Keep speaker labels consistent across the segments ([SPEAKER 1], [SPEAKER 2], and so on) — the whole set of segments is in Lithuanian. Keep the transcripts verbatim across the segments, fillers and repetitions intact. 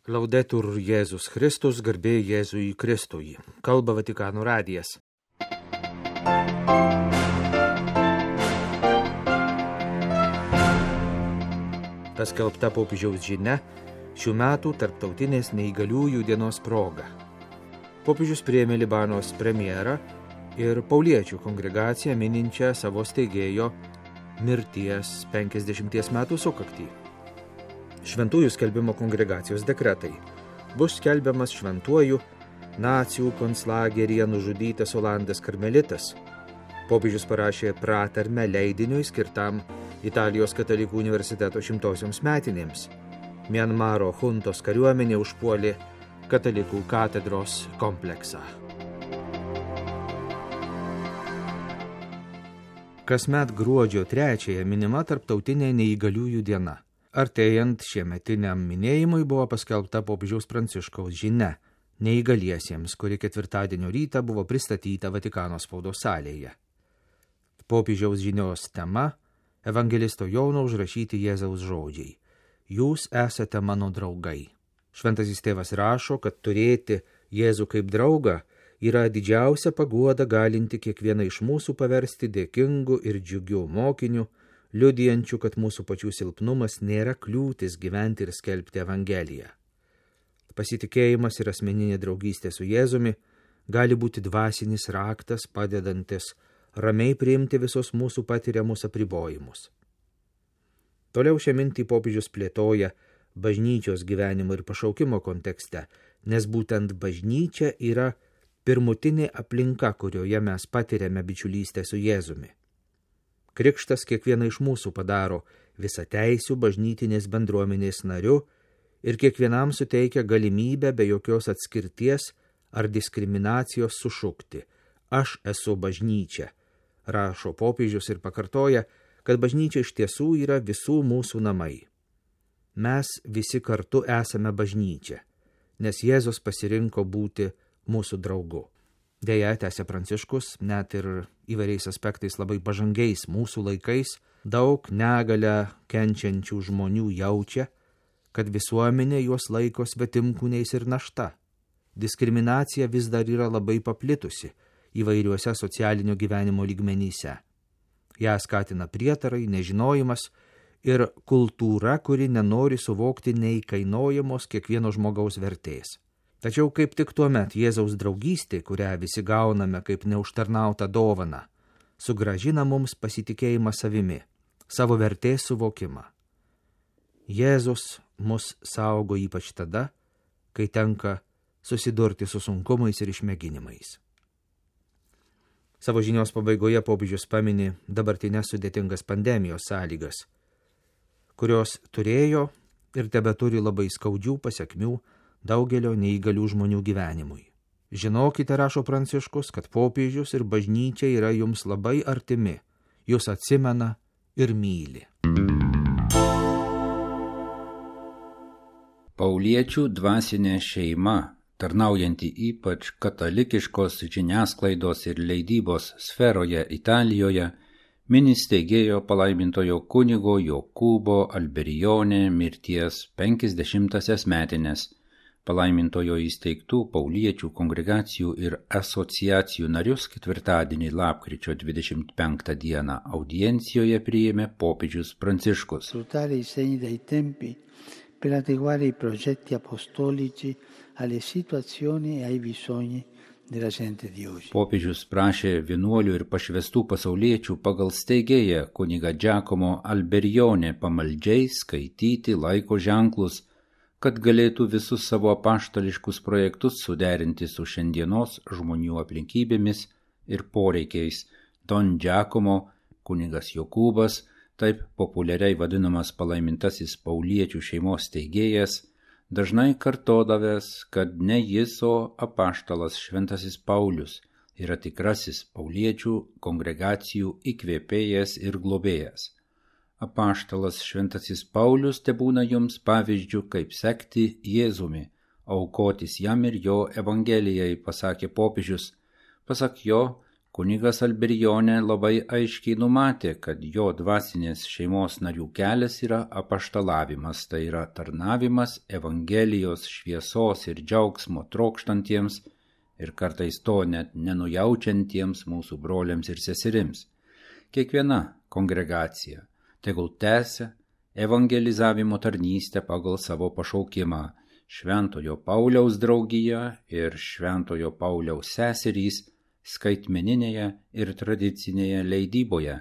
[SPEAKER 1] Laudetur Jėzus Kristus, garbė Jėzui Kristui. Kalba Vatikano radijas. Paskelbta popiežiaus žinia šių metų tarptautinės neįgaliųjų dienos proga. Popiežius priėmė Libanos premjerą ir pauliečių kongregaciją mininčią savo steigėjo mirties penkiasdešimties metų sukaktį. Šventųjų skelbimo kongregacijos dekretai. Bus skelbiamas šventuoju nacių konclageryje nužudytas Olandas karmelitas. Popiežius parašė pratarmę leidiniui skirtam Italijos katalikų universiteto šimtosioms metinėms. Mianmaro juntos kariuomenė užpuolė katalikų katedros kompleksą. Kasmet gruodžio trečiąją minima tarptautinė neįgaliųjų diena. Artėjant šiemetiniam minėjimui buvo paskelbta popiežiaus Pranciškaus žinia neįgaliesiems, kuri ketvirtadienio rytą buvo pristatyta Vatikano spaudos salėje. Popiežiaus žinios tema – evangelisto Jono užrašyti Jėzaus žodžiai. Jūs esate mano draugai. Šventasis tėvas rašo, kad turėti Jėzų kaip draugą yra didžiausia paguoda galinti kiekvieną iš mūsų paversti dėkingu ir džiugiu mokiniu, liudijančių, kad mūsų pačių silpnumas nėra kliūtis gyventi ir skelbti Evangeliją. Pasitikėjimas ir asmeninė draugystė su Jėzumi gali būti dvasinis raktas, padedantis ramiai priimti visus mūsų patiriamus apribojimus. Toliau šią mintį popiežius plėtoja bažnyčios gyvenimo ir pašaukimo kontekste, nes būtent bažnyčia yra pirmutinė aplinka, kurioje mes patiriame bičiulystę su Jėzumi. Krikštas kiekvieną iš mūsų padaro visateisių bažnytinės bendruomenės nariu ir kiekvienam suteikia galimybę be jokios atskirties ar diskriminacijos sušukti. Aš esu bažnyčia, rašo popiežius ir pakartoja, kad bažnyčia iš tiesų yra visų mūsų namai. Mes visi kartu esame bažnyčia, nes Jėzus pasirinko būti mūsų draugu. Deja, tęsė Pranciškus, net ir įvairiais aspektais labai pažangiais mūsų laikais, daug negalią kenčiančių žmonių jaučia, kad visuomenė juos laiko svetimkūniais ir našta. Diskriminacija vis dar yra labai paplitusi įvairiuose socialinio gyvenimo lygmenyse. Ją skatina prietarai, nežinojimas ir kultūra, kuri nenori suvokti neįkainojamos kiekvieno žmogaus vertės. Tačiau kaip tik tuomet Jėzaus draugystė, kurią visi gauname kaip neužtarnautą dovaną, sugrąžina mums pasitikėjimą savimi, savo vertės suvokimą. Jėzus mus saugo ypač tada, kai tenka susidurti su sunkumais ir išmėginimais. Savo žinios pabaigoje popiežius pamini dabartinės sudėtingas pandemijos sąlygas, kurios turėjo ir tebeturi labai skaudžių pasekmių daugelio neįgalių žmonių gyvenimui. Žinokite, rašo Pranciškus, kad popiežius ir bažnyčia yra jums labai artimi, jūs atsimena ir myli.
[SPEAKER 2] Pauliečių dvasinė šeima, tarnaujanti ypač katalikiškos žiniasklaidos ir leidybos sferoje Italijoje, mini steigėjo palaimintojo kunigo Jokūbo Alberione mirties penkiasdešimtąsias metines, palaimintojo įsteigtų pauliečių kongregacijų ir asociacijų narius ketvirtadienį lapkričio dvidešimt penktą dieną audiencijoje priėmė popiežius Pranciškus.
[SPEAKER 3] Sfruttare i segni dei tempi per adeguare i progetti apostolici alle situazioni e ai bisogni della gente di oggi.
[SPEAKER 2] Popiežius prašė vienuolių ir pašvestų pasauliečių pagal steigėją kunigą Giacomo Alberione pamaldžiai skaityti laiko ženklus, kad galėtų visus savo apaštališkus projektus suderinti su šiandienos žmonių aplinkybėmis ir poreikiais. Don Giacomo, kunigas Jokūbas, taip populiariai vadinamas palaimintasis pauliečių šeimos steigėjas, dažnai kartodavęs, kad ne jis, o apaštalas šventasis Paulius yra tikrasis pauliečių kongregacijų įkvėpėjas ir globėjas. Apaštalas šventasis Paulius tebūna jums pavyzdžių, kaip sekti Jėzumi, aukotis jam ir jo evangelijai, pasakė popiežius. Pasak jo, Kunigas Alberione labai aiškiai numatė, kad jo dvasinės šeimos narių kelias yra apaštalavimas, tai yra tarnavimas Evangelijos šviesos ir džiaugsmo trokštantiems ir kartais to net nenujaučiantiems mūsų broliams ir seserims. Kiekviena kongregacija tegul tęsia evangelizavimo tarnystę pagal savo pašaukimą. Šventojo Pauliaus draugija ir Šventojo Pauliaus seserys skaitmeninėje ir tradicinėje leidyboje,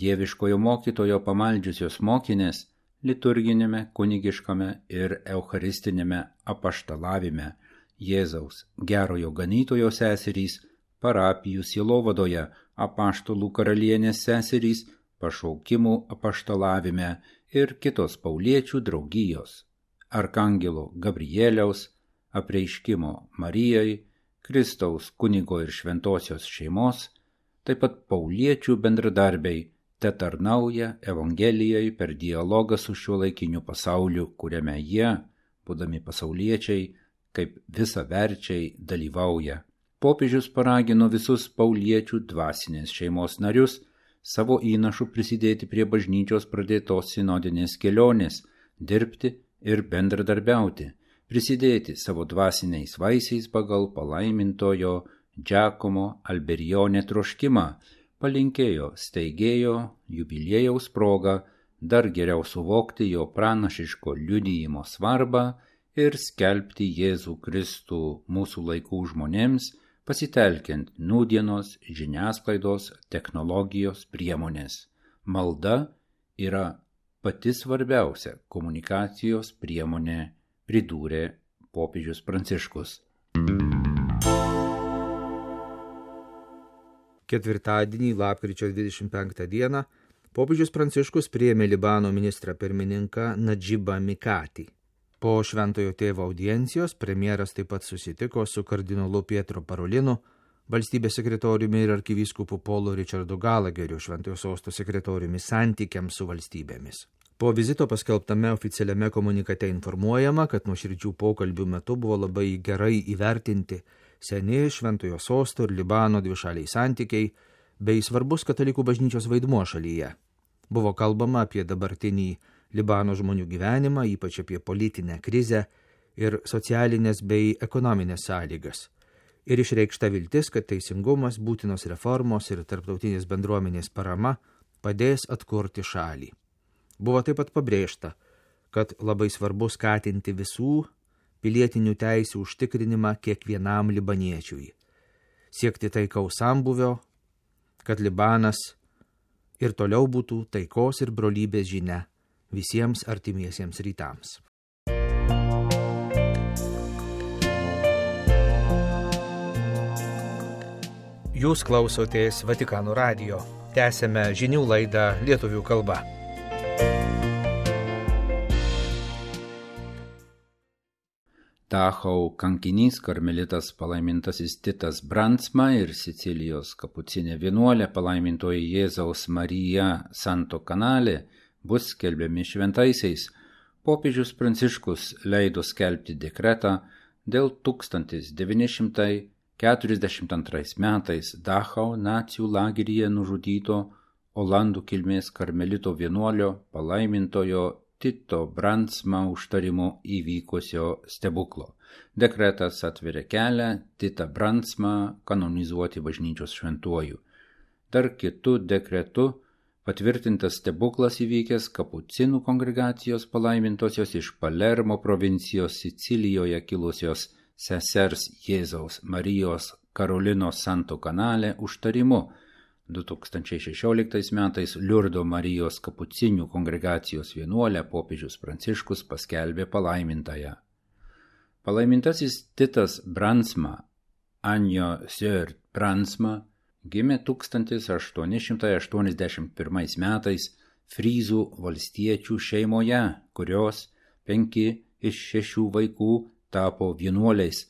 [SPEAKER 2] dieviškojo mokytojo pamaldžiusios mokinės, liturginėme, kunigiškame ir eucharistinėme apaštalavime, Jėzaus gerojo ganytojo seserys, parapijų sielovadoje, apaštalų karalienės seserys, pašaukimų apaštalavime ir kitos pauliečių draugijos, arkangelo Gabrieliaus, apreiškimo Marijai, Kristaus kunigo ir šventosios šeimos, taip pat pauliečių bendradarbiai te tarnauja Evangelijai per dialogą su šiuolaikiniu pasauliu, kuriame jie, būdami pasauliečiai, kaip visaverčiai dalyvauja. Popiežius paragino visus pauliečių dvasinės šeimos narius savo įnašų prisidėti prie bažnyčios pradėtos sinodinės kelionės, dirbti ir bendradarbiauti, prisidėti savo dvasiniais vaisiais pagal palaimintojo Giacomo Alberione troškimą, palinkėjo steigėjo jubiliejaus progą dar geriau suvokti jo pranašiško liudijimo svarbą ir skelbti Jėzų Kristų mūsų laikų žmonėms, pasitelkiant nūdienos žiniasklaidos technologijos priemonės. Malda yra pati svarbiausia komunikacijos priemonė, pridūrė popiežius Pranciškus.
[SPEAKER 1] Ketvirtadienį, lapkričio dvidešimt penktą dieną, popiežius Pranciškus priėmė Libano ministrą pirmininką Nadžibą Mikatį. Po šventojo tėvo audiencijos premjeras taip pat susitiko su kardinolu Pietro Parolinu, valstybės sekretoriumi ir arkivyskupu Polu Richardu Galageriu, šventojo sosto sekretoriumi santykiams su valstybėmis. Po vizito paskelbtame oficialiame komunikate informuojama, kad nuoširdžių pokalbių metu buvo labai gerai įvertinti seni šventojo sosto ir Libano dvišaliai santykiai bei svarbus katalikų bažnyčios vaidmuo šalyje. Buvo kalbama apie dabartinį Libano žmonių gyvenimą, ypač apie politinę krizę ir socialinės bei ekonominės sąlygas. Ir išreikšta viltis, kad teisingumas, būtinos reformos ir tarptautinės bendruomenės parama padės atkurti šalį. Buvo taip pat pabrėžta, kad labai svarbu skatinti visų pilietinių teisių užtikrinimą kiekvienam libaniečiui, siekti taikaus sambūvio, kad Libanas ir toliau būtų taikos ir brolybės žinia visiems artimiesiems rytams. Jūs klausotės Vatikano radijo. Tęsėme žinių laidą lietuvių kalba.
[SPEAKER 2] Dachau kankinys karmelitas palaimintasis Titas Brandsma ir Sicilijos kapucinė vienuolė palaimintoji Jėzaus Marija Santo Canale bus skelbiami šventaisiais. Popiežius Pranciškus leido skelbti dekretą dėl tūkstantis devyni šimtai keturiasdešimt antrais metais Dachau nacijų lageryje nužudyto olandų kilmės karmelito vienuolio palaimintojo Tito Brandsma užtarimu įvykusio stebuklo. Dekretas atveria kelią Titą Brandsmą kanonizuoti bažnyčios šventuoju. Dar kitu dekretu patvirtintas stebuklas įvykęs kapucinų kongregacijos palaimintosios iš Palermo provincijos Sicilijoje kilusios sesers Jėzaus Marijos Karolinos Santo Canale užtarimu. du tūkstančiai šešioliktais metais Liurdo Marijos kapucinių kongregacijos vienuolę popiežius Pranciškus paskelbė palaimintąją. Palaimintasis Titas Brandsma, Anjo Sœur Brandsma, gimė tūkstantis aštuoni šimtai aštuoniasdešimt pirmais metais Fryzų valstiečių šeimoje, kurios penki iš šešių vaikų tapo vienuoliais.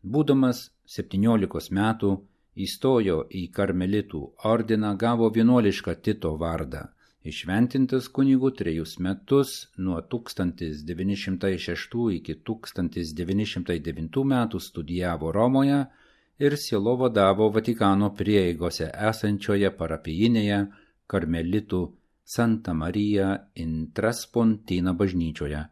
[SPEAKER 2] Būdamas septyniolikos metų, įstojo į karmelitų ordiną, gavo vienuolišką Tito vardą. Įšventintas kunigų trejus metus nuo tūkstantis devyni šimtai šeštų iki tūkstantis devyni šimtai devintų metų studijavo Romoje ir sielovadavo Vatikano prieigose esančioje parapijinėje karmelitų Santa Marija in Traspontina bažnyčioje.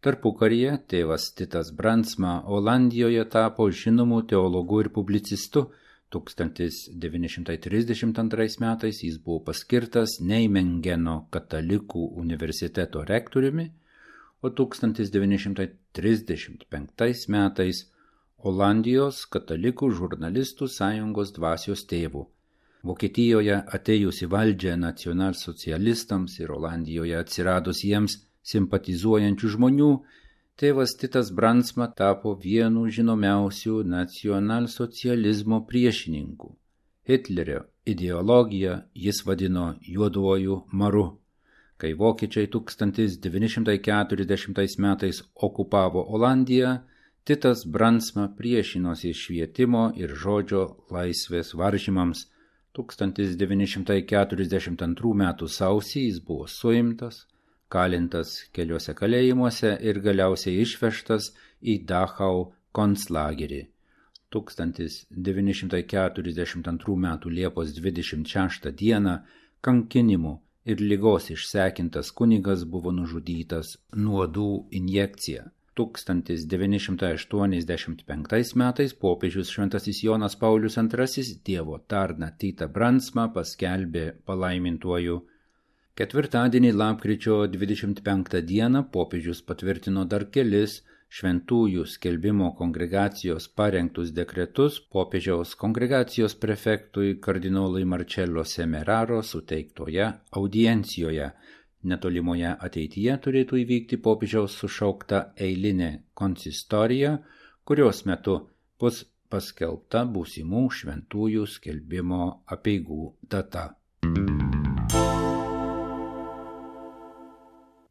[SPEAKER 2] Tarpukaryje tėvas Titas Brandsma Olandijoje tapo žinomu teologu ir publicistu. tūkstantis devyni šimtai trisdešimt antrais metais jis buvo paskirtas Neimengeno katalikų universiteto rektoriumi, o tūkstantis devyni šimtai trisdešimt penktais metais Olandijos katalikų žurnalistų sąjungos dvasios tėvu. Vokietijoje atėjus į valdžią nacionalsocialistams ir Olandijoje atsiradus jiems simpatizuojančių žmonių, tėvas Titas Brandsma tapo vienu žinomiausių nacionalsocializmo priešininkų. Hitlerio ideologiją jis vadino juoduoju maru. Kai vokiečiai tūkstantis devyni šimtai keturiasdešimtais metais okupavo Olandiją, Titas Brandsma priešinosi švietimo ir žodžio laisvės varžymams. tūkstantis devyni šimtai keturiasdešimt antrų metų sausį jis buvo suimtas, kalintas keliuose kalėjimuose ir galiausiai išvežtas į Dachau konclagerį. tūkstantis devyni šimtai keturiasdešimt antrų metų Liepos dvidešimt šeštą dieną kankinimų ir ligos išsekintas kunigas buvo nužudytas nuodų injekcija. tūkstantis devyni šimtai aštuoniasdešimt penktais metais popiežius Šventasis Jonas Paulius antrasis Dievo tarną Titą Brandsmą paskelbė palaimintuoju. Ketvirtadienį lapkričio dvidešimt penktą dieną popiežius patvirtino dar kelis šventųjų skelbimo kongregacijos parengtus dekretus popiežiaus kongregacijos prefektui kardinolui Marcello Semeraro suteiktoje audiencijoje. Netolimoje ateityje turėtų įvykti popiežiaus sušaukta eilinė konsistorija, kurios metu bus paskelbta būsimų šventųjų skelbimo apeigų data.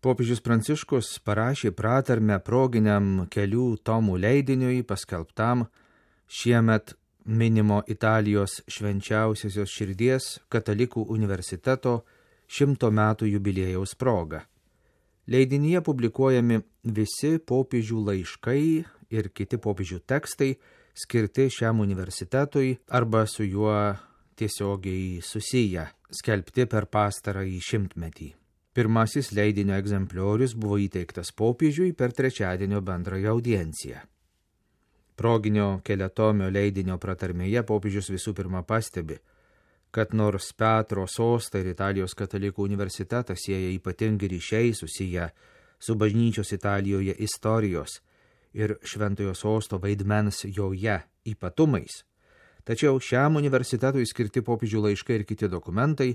[SPEAKER 1] Popiežius Pranciškus parašė pratarmę proginiam kelių tomų leidiniui paskelbtam šiemet minimo Italijos švenčiausiosios širdies katalikų universiteto šimto metų jubiliejaus proga. Leidinyje publikuojami visi popiežių laiškai ir kiti popiežių tekstai skirti šiam universitetui arba su juo tiesiogiai susiję, skelbti per pastarąjį šimtmetį. Pirmasis leidinio egzempliorius buvo įteiktas popiežiui per trečiadienio bendrąją audienciją. Proginio keliatomio leidinio pratarmėje popiežius visų pirma pastebi, kad nors Petro sostą ir Italijos katalikų universitetą sieja ypatingi ryšiai susiję su bažnyčios Italijoje istorijos ir šventojo sosto vaidmens joje ypatumais, tačiau šiam universitetui skirti popiežių laiškai ir kiti dokumentai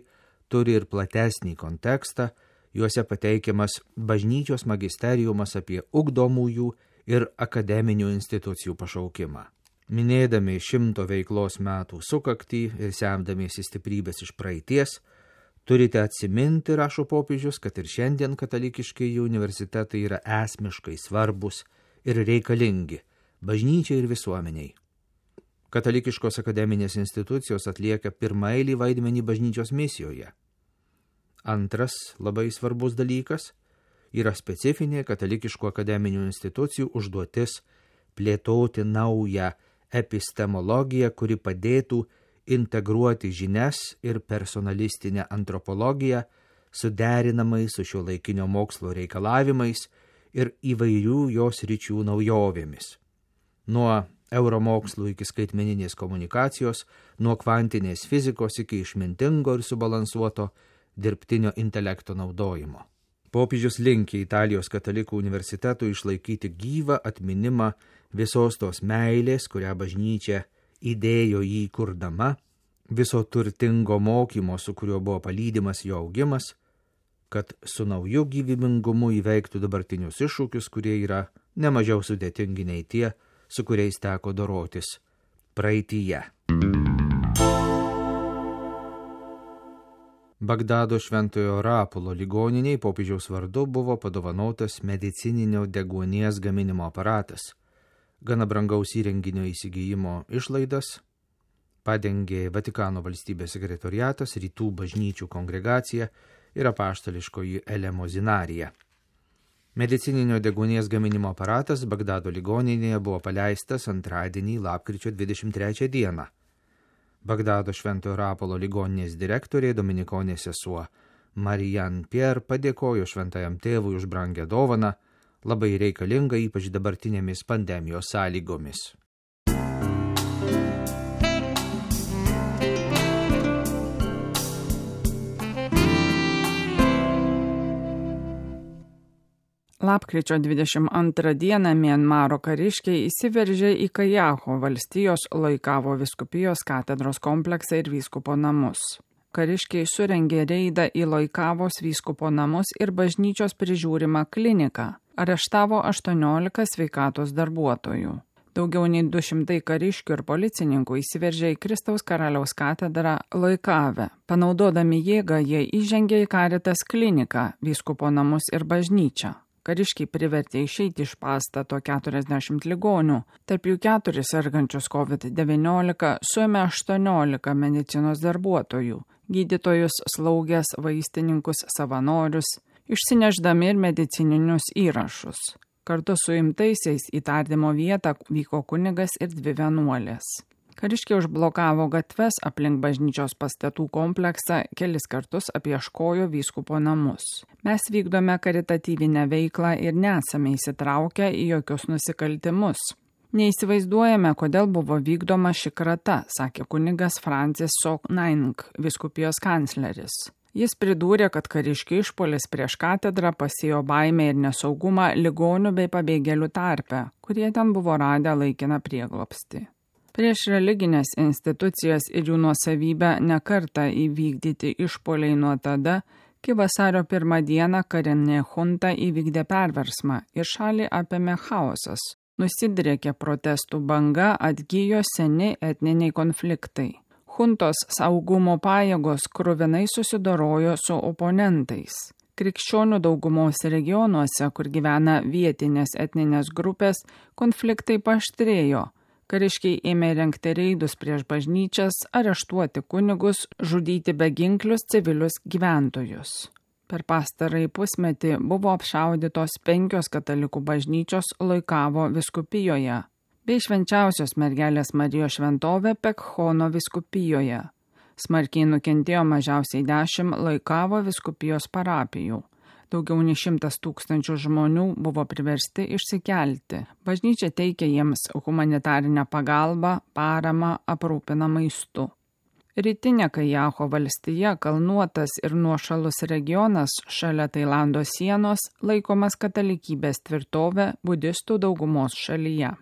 [SPEAKER 1] turi ir platesnį kontekstą, juose pateikiamas bažnyčios magisteriumas apie ugdomųjų ir akademinių institucijų pašaukimą. Minėdami šimto veiklos metų sukaktį ir semdamiesi stiprybės iš praeities, turite atsiminti, rašo popiežius, kad ir šiandien katalikiškieji universitetai yra esmiškai svarbus ir reikalingi bažnyčiai ir visuomeniai. Katalikiškos akademinės institucijos atlieka pirmaeilį vaidmenį bažnyčios misijoje. Antras labai svarbus dalykas yra specifinė katalikiškų akademinių institucijų užduotis plėtoti naują epistemologiją, kuri padėtų integruoti žinias ir personalistinę antropologiją suderinamai su šiuolaikinio mokslo reikalavimais ir įvairių jos ryčių naujovėmis. Nuo euromokslų iki skaitmeninės komunikacijos, nuo kvantinės fizikos iki išmintingo ir subalansuoto dirbtinio intelekto naudojimo. Popiežius linkė Italijos katalikų universitetui išlaikyti gyvą atminimą visos tos meilės, kurią bažnyčia įdėjo jį kurdama, viso turtingo mokymo, su kuriuo buvo palydimas jo augimas, kad su nauju gyvybingumu įveiktų dabartinius iššūkius, kurie yra nemažiau sudėtingi nei tie, su kuriais teko dorotis praeityje. Bagdado Šventojo Rapulo ligoniniai popiežiaus vardu buvo padovanotas medicininio deguonies gaminimo aparatas. Gana brangaus įrenginio įsigijimo išlaidas padengė Vatikano valstybės sekretoriatas, Rytų bažnyčių kongregacija ir apaštališkoji elemozinarija. Medicininio deguonies gaminimo aparatas Bagdado ligoninėje buvo paleistas antradienį lapkričio dvidešimt trečią dieną. Bagdado Šventojo Rapolo ligoninės direktorė dominikonė sesuo Marianne Pierre padėkojo šventajam tėvui už brangią dovaną, labai reikalingą ypač dabartinėmis pandemijos sąlygomis.
[SPEAKER 4] Lapkričio dvidešimt antrą dieną Mianmaro kariškiai įsiveržė į Kajaho valstijos Loikavo vyskupijos katedros kompleksą ir vyskupo namus. Kariškiai surengė reidą į Loikavos vyskupo namus ir bažnyčios prižiūrimą kliniką. Areštavo aštuoniolika sveikatos darbuotojų. Daugiau nei du šimtai kariškių ir policininkų įsiveržė į Kristaus karaliaus katedrą Loikave. Panaudodami jėgą, jie įžengė į Caritas kliniką, vyskupo namus ir bažnyčią. Kariškiai privertė išeiti iš pastato keturiasdešimt ligonių, tarp jų keturis sergančius COVID devyniolika, suėmė aštuoniolika medicinos darbuotojų, gydytojus, slaugės, vaistininkus, savanorius, išsineždami ir medicininius įrašus. Kartu su imtaisiais į tardymo vietą vyko kunigas ir dvi vienuolės. Kariškiai užblokavo gatves aplink bažnyčios pastatų kompleksą, kelis kartus apieškojo vyskupo namus. Mes vykdome karitatyvinę veiklą ir nesame įsitraukę į jokius nusikaltimus. Neįsivaizduojame, kodėl buvo vykdoma ši krata, sakė kunigas Francis Sok Naing, vyskupijos kancleris. Jis pridūrė, kad kariškių išpuolis prieš katedrą pasėjo baimę ir nesaugumą ligonių bei pabėgėlių tarpe, kurie ten buvo radę laikiną prieglobstį. Prieš religinės institucijas ir jų nuosavybę nekartą įvykdyti išpuoliai nuo tada, kai vasario pirmą dieną karinė junta įvykdė perversmą ir šalį apėmė chaosas. Nusidriekė protestų banga, atgijo seni etniniai konfliktai. Juntos saugumo pajėgos kruvinai susidorojo su oponentais. Krikščionių daugumos regionuose, kur gyvena vietinės etninės grupės, konfliktai paaštrėjo. Kariškiai ėmė rengti reidus prieš bažnyčias, areštuoti kunigus, žudyti beginklius civilius gyventojus. Per pastarąjį pusmetį buvo apšaudytos penkios katalikų bažnyčios Loikavo vyskupijoje, bei švenčiausios mergelės Marijos šventovė Pekhono vyskupijoje. Smarkiai nukentėjo mažiausiai dešimt Loikavo vyskupijos parapijų. Daugiau nei šimtas tūkstančių žmonių buvo priversti išsikelti. Bažnyčia teikė jiems humanitarinę pagalbą, paramą, aprūpina maistu. Rytinė Kajaho valstija, kalnuotas ir nuošalus regionas šalia Tailando sienos, laikomas katalikybės tvirtovė budistų daugumos šalyje.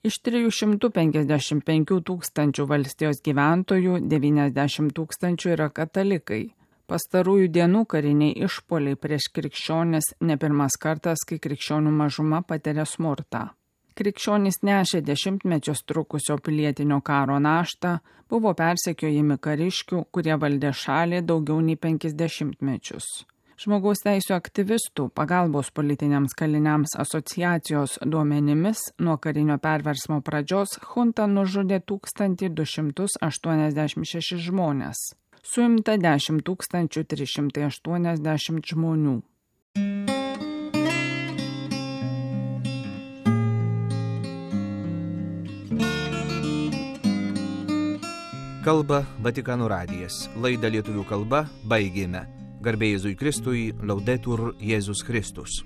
[SPEAKER 4] Iš trijų šimtų penkiasdešimt penkių tūkstančių valstijos gyventojų devyniasdešimt tūkstančių yra katalikai. Pastarųjų dienų kariniai išpuoliai prieš krikščionis ne pirmas kartas, kai krikščionių mažuma patiria smurtą. Krikščionys nešė dešimtmečius trukusio pilietinio karo naštą, buvo persekiojami kariškių, kurie valdė šalį daugiau nei penkis dešimtmečius. Žmogaus teisių aktyvistų pagalbos politiniams kaliniams asociacijos duomenimis nuo karinio perversmo pradžios junta nužudė tūkstantį du šimtus aštuoniasdešimt šešis žmonės. Suimta dešimt tūkstančių trys šimtai aštuoniasdešimt žmonių.
[SPEAKER 1] Kalba Vatikano radijas. Laidą lietuvių kalba baigėme. Garbė Jėzui Kristui, Laudetur Jėzus Kristus.